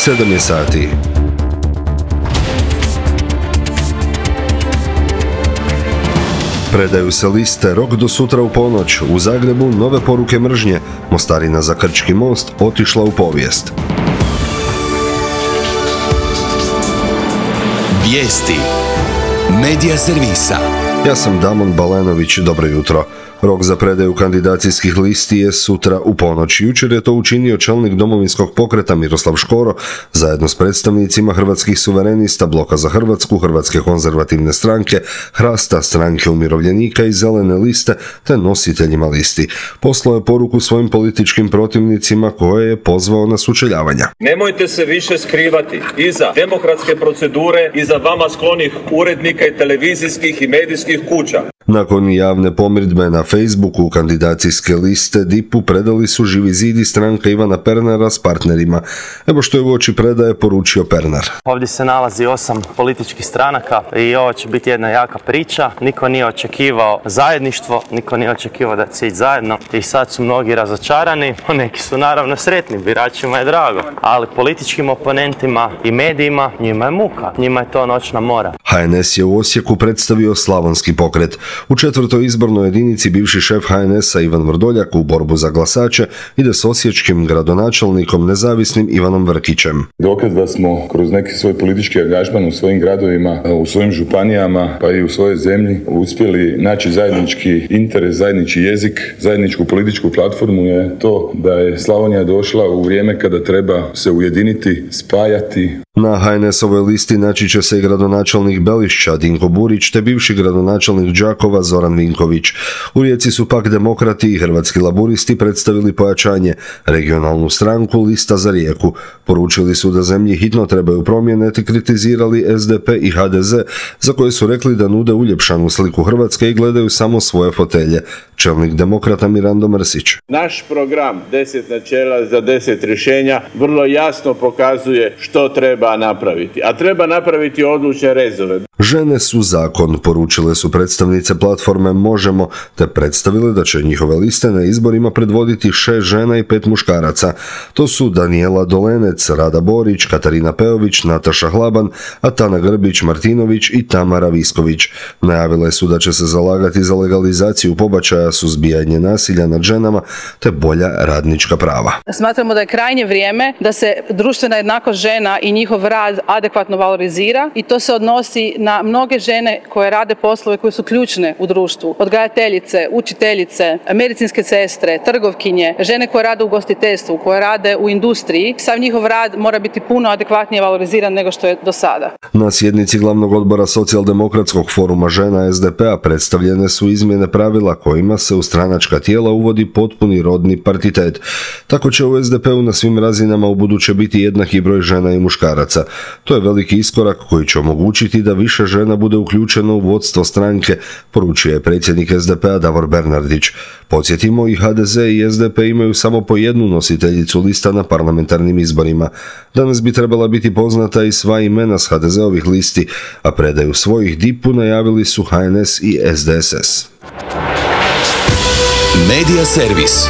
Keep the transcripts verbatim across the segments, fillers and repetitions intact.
sedam je sati. Predaju se liste, rok do sutra u ponoć. U Zagrebu nove poruke mržnje. Mostarina za Krčki most otišla u povijest. Vijesti Medija servisa. Ja sam Damon Balenović, dobro jutro. Rok za predaju kandidacijskih listi je sutra u ponoć. Jučer je to učinio čelnik Domovinskog pokreta Miroslav Škoro zajedno s predstavnicima Hrvatskih suverenista, Bloka za Hrvatsku, Hrvatske konzervativne stranke, Hrasta, Stranke umirovljenika i Zelene liste, te nositeljima listi. Poslao je poruku svojim političkim protivnicima koje je pozvao na sučeljavanja. Nemojte se više skrivati iza demokratske procedure, iza vama sklonih urednika i televizijskih i medijskih kuća. Nakon javne pomirdbe na Facebooku kandidacijske liste D I P-u predali su Živi zid i stranka Ivana Pernara s partnerima. Evo što je uoči predaje poručio Pernar. Ovdje se nalazi osam političkih stranaka i ovo će biti jedna jaka priča. Niko nije očekivao zajedništvo, niko nije očekivao da će ići zajedno i sad su mnogi razočarani, neki su naravno sretni, biračima je drago, ali političkim oponentima i medijima njima je muka, njima je to noćna mora. H N S je u Osijeku predstavio Slavonski pokret. U četvrtoj izbornoj jedinici bivši šef H N S-a Ivan Vrdoljak u borbu za glasače ide s osječkim gradonačelnikom nezavisnim Ivanom Vrkićem. Dokaz da smo kroz neki svoj politički angažman u svojim gradovima, u svojim županijama pa i u svojoj zemlji uspjeli naći zajednički interes, zajednički jezik, zajedničku političku platformu je to da je Slavonija došla u vrijeme kada treba se ujediniti, spajati. Na H N S-ovoj listi naći će se i gradonačelnik Belišća Dinko Burić te bivši gradonačelnik Đakova Zoran Vinković. U Rijeci su pak Demokrati i Hrvatski laburisti predstavili pojačanje, regionalnu stranku Lista za Rijeku. Poručili su da zemlji hitno trebaju promjene te kritizirali S D P i H D Z za koje su rekli da nude uljepšanu sliku Hrvatske i gledaju samo svoje fotelje. Čelnik Demokrata Mirando Mrsić. Naš program deset načela za deset rješenja vrlo jasno pokazuje što treba napraviti, a treba napraviti odlučne rezove. Žene su zakon, poručile su predstavnice platforme Možemo, te predstavile da će njihove liste na izborima predvoditi šest žena i pet muškaraca. To su Danijela Dolenec, Rada Borić, Katarina Peović, Nataša Hlaban, Atana Grbić-Martinović i Tamara Visković. Najavile su da će se zalagati za legalizaciju pobačaja, suzbijanje nasilja nad ženama te bolja radnička prava. Smatramo da je krajnje vrijeme da se društvena jednakost žena i njihov rad adekvatno valorizira i to se odnosi na mnoge žene koje rade poslove koje su ključne u društvu. Odgajateljice, učiteljice, medicinske sestre, trgovkinje, žene koje rade u ugostiteljstvu, koje rade u industriji. Sav njihov rad mora biti puno adekvatnije valoriziran nego što je do sada. Na sjednici glavnog odbora Socijaldemokratskog foruma žena S D P-a predstavljene su izmjene pravila kojima se u stranačka tijela uvodi potpuni rodni partitet. Tako će u S D P-u na svim razinama ubuduće biti jednaki broj žena i muškaraca. To je veliki iskorak koji će omogućiti da više žena bude uključeno u vodstvo stranke, poručio je predsjednik S D P-a Davor Bernardić. Podsjetimo, i H D Z i S D P imaju samo po jednu nositeljicu lista na parlamentarnim izborima. Danas bi trebala biti poznata i sva imena s H D Z-ovih listi, a predaju svojih D I P-u najavili su H N S i S D S S. Medija servis.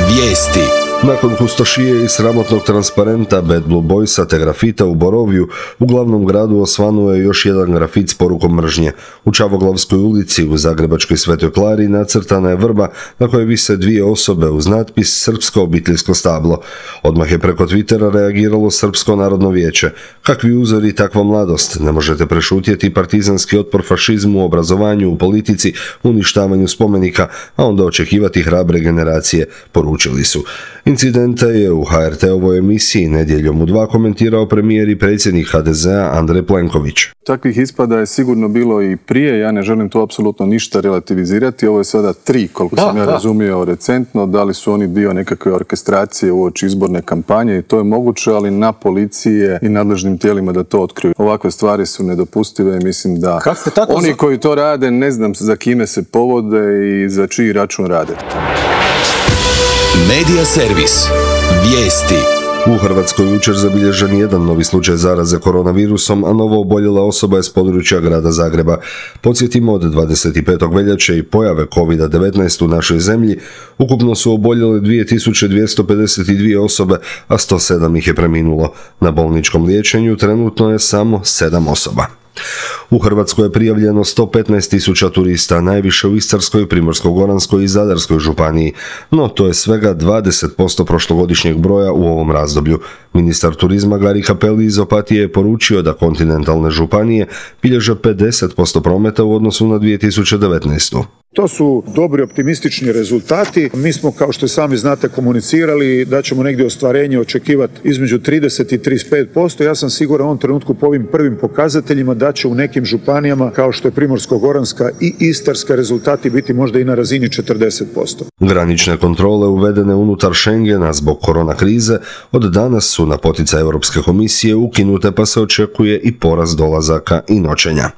Vijesti. Nakon kustošije i sramotnog transparenta Bad Blue Boysa te grafita u Borovju, u glavnom gradu osvanuo je još jedan grafit s porukom mržnje. U Čavoglavskoj ulici u Zagrebačkoj Svetoj Klari nacrtana je vrba na kojoj vise dvije osobe uz natpis Srpsko obiteljsko stablo. Odmah je preko Twittera reagiralo Srpsko narodno vijeće. Kakvi uzori, takva mladost. Ne možete prešutjeti partizanski otpor fašizmu, obrazovanju, u politici, uništavanju spomenika, a onda očekivati hrabre generacije, poručili su. Incidente je u H R T-ovoj emisiji Nedjeljom u dva komentirao premijer i predsjednik H D Z-a Andrej Plenković. Takvih ispada je sigurno bilo i prije, ja ne želim to apsolutno ništa relativizirati, ovo je sada tri, koliko da, sam ja da. razumio recentno, da li su oni dio nekakve orkestracije uoči izborne kampanje i to je moguće, ali na policije i nadležnim tijelima da to otkriju. Ovakve stvari su nedopustive i mislim da oni koji to rade ne znam za kime se povode i za čiji račun rade. Medija servis. Vijesti. U Hrvatskoj jučer zabilježen jedan novi slučaj zaraze koronavirusom, a novo oboljela osoba je s područja grada Zagreba. Podsjetimo, od dvadeset petog veljače i pojave kovid devetnaest u našoj zemlji ukupno su oboljele dvije tisuće dvjesto pedeset dvije osobe, a sto sedam ih je preminulo. Na bolničkom liječenju trenutno je samo sedam osoba. U Hrvatskoj je prijavljeno sto petnaest tisuća turista, najviše u Istarskoj, Primorsko-goranskoj i Zadarskoj županiji, no to je svega dvadeset posto prošlogodišnjeg broja u ovom razdoblju. Ministar turizma Gari Cappelli iz Opatije je poručio da kontinentalne županije bilježe pedeset posto prometa u odnosu na dvije tisuće devetnaestu. To su dobri optimistični rezultati. Mi smo, kao što sami znate, komunicirali da ćemo negdje ostvarenje očekivati između trideset i trideset pet posto. Ja sam siguran u ovom trenutku po ovim prvim pokazateljima da će u nekim županijama, kao što je Primorsko-goranska i Istarska, rezultati biti možda i na razini četrdeset posto. Granične kontrole uvedene unutar Schengena zbog korona krize od danas su na poticaj Europske komisije ukinute, pa se očekuje i porast dolazaka i noćenja.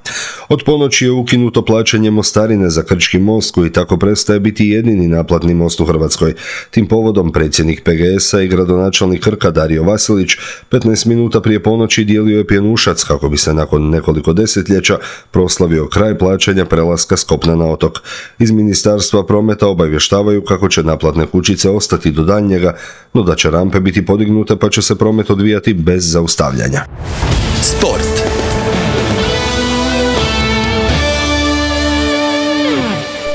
Od ponoći je ukinuto plaćanje mostarine za Krčki most, koji tako prestaje biti jedini naplatni most u Hrvatskoj. Tim povodom predsjednik P G S-a i gradonačelnik Krka Dario Vasilić petnaest minuta prije ponoći dijelio je pjenušac kako bi se nakon nekoliko desetljeća proslavio kraj plaćanja prelaska s kopna na otok. Iz Ministarstva prometa obavještavaju kako će naplatne kućice ostati do daljnjega, no da će rampe biti podignute pa će se promet odvijati bez zaustavljanja. Sport.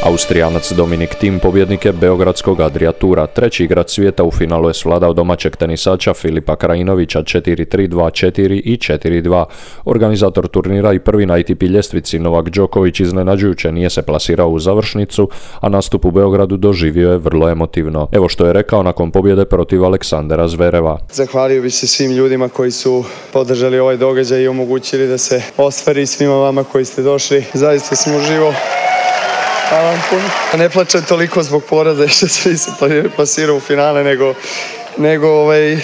Austrijanac Dominik Thiem pobjednik je beogradskog Adria Toura. Treći igrač svijeta u finalu je svladao domaćeg tenisača Filipa Krajinovića četiri tri, dva četiri i četiri dva. Organizator turnira i prvi na A T P ljestvici Novak Đoković iznenađujuće nije se plasirao u završnicu, a nastup u Beogradu doživio je vrlo emotivno. Evo što je rekao nakon pobjede protiv Aleksandera Zvereva. Zahvalio bih se svim ljudima koji su podržali ovaj događaj i omogućili da se ostvari, svima vama koji ste došli. Zaista sam uživao. Hvala vam puno. Ne plačem toliko zbog poraza što se nisam plasirao u finale, nego, nego ovaj,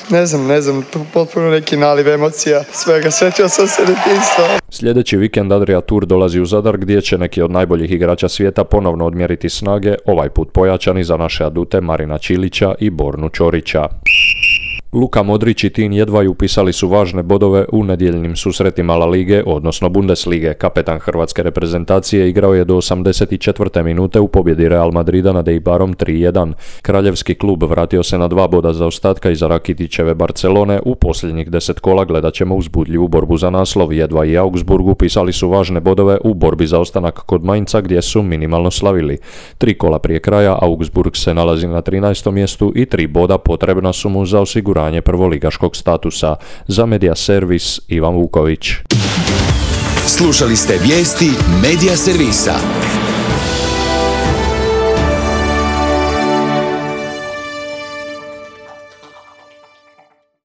ne znam, ne znam, potpuno neki naliv emocija svega, sjetio sam se detinjstva. Sljedeći vikend Adria Tour dolazi u Zadar gdje će neki od najboljih igrača svijeta ponovno odmjeriti snage, ovaj put pojačani za naše adute Marina Čilića i Bornu Čorića. Luka Modrić i Tin jedva upisali su važne bodove u nedjeljnim susretima La Lige, odnosno Bundeslige. Kapetan hrvatske reprezentacije igrao je do osamdeset četvrte minute u pobjedi Real Madrida nad Eibarom tri jedan. Kraljevski klub vratio se na dva boda zaostatka iza Rakitićeve Barcelone. U posljednjih deset kola gledat ćemo uzbudljivu borbu za naslov. Jedva i Augsburg upisali su važne bodove u borbi za ostanak kod Mainca gdje su minimalno slavili. Tri kola prije kraja Augsburg se nalazi na trinaestom mjestu i tri boda potrebna su mu za osiguranje prvoligaškog statusa. Za Media Servis Ivan Vuković. Slušali ste vijesti Media Servisa.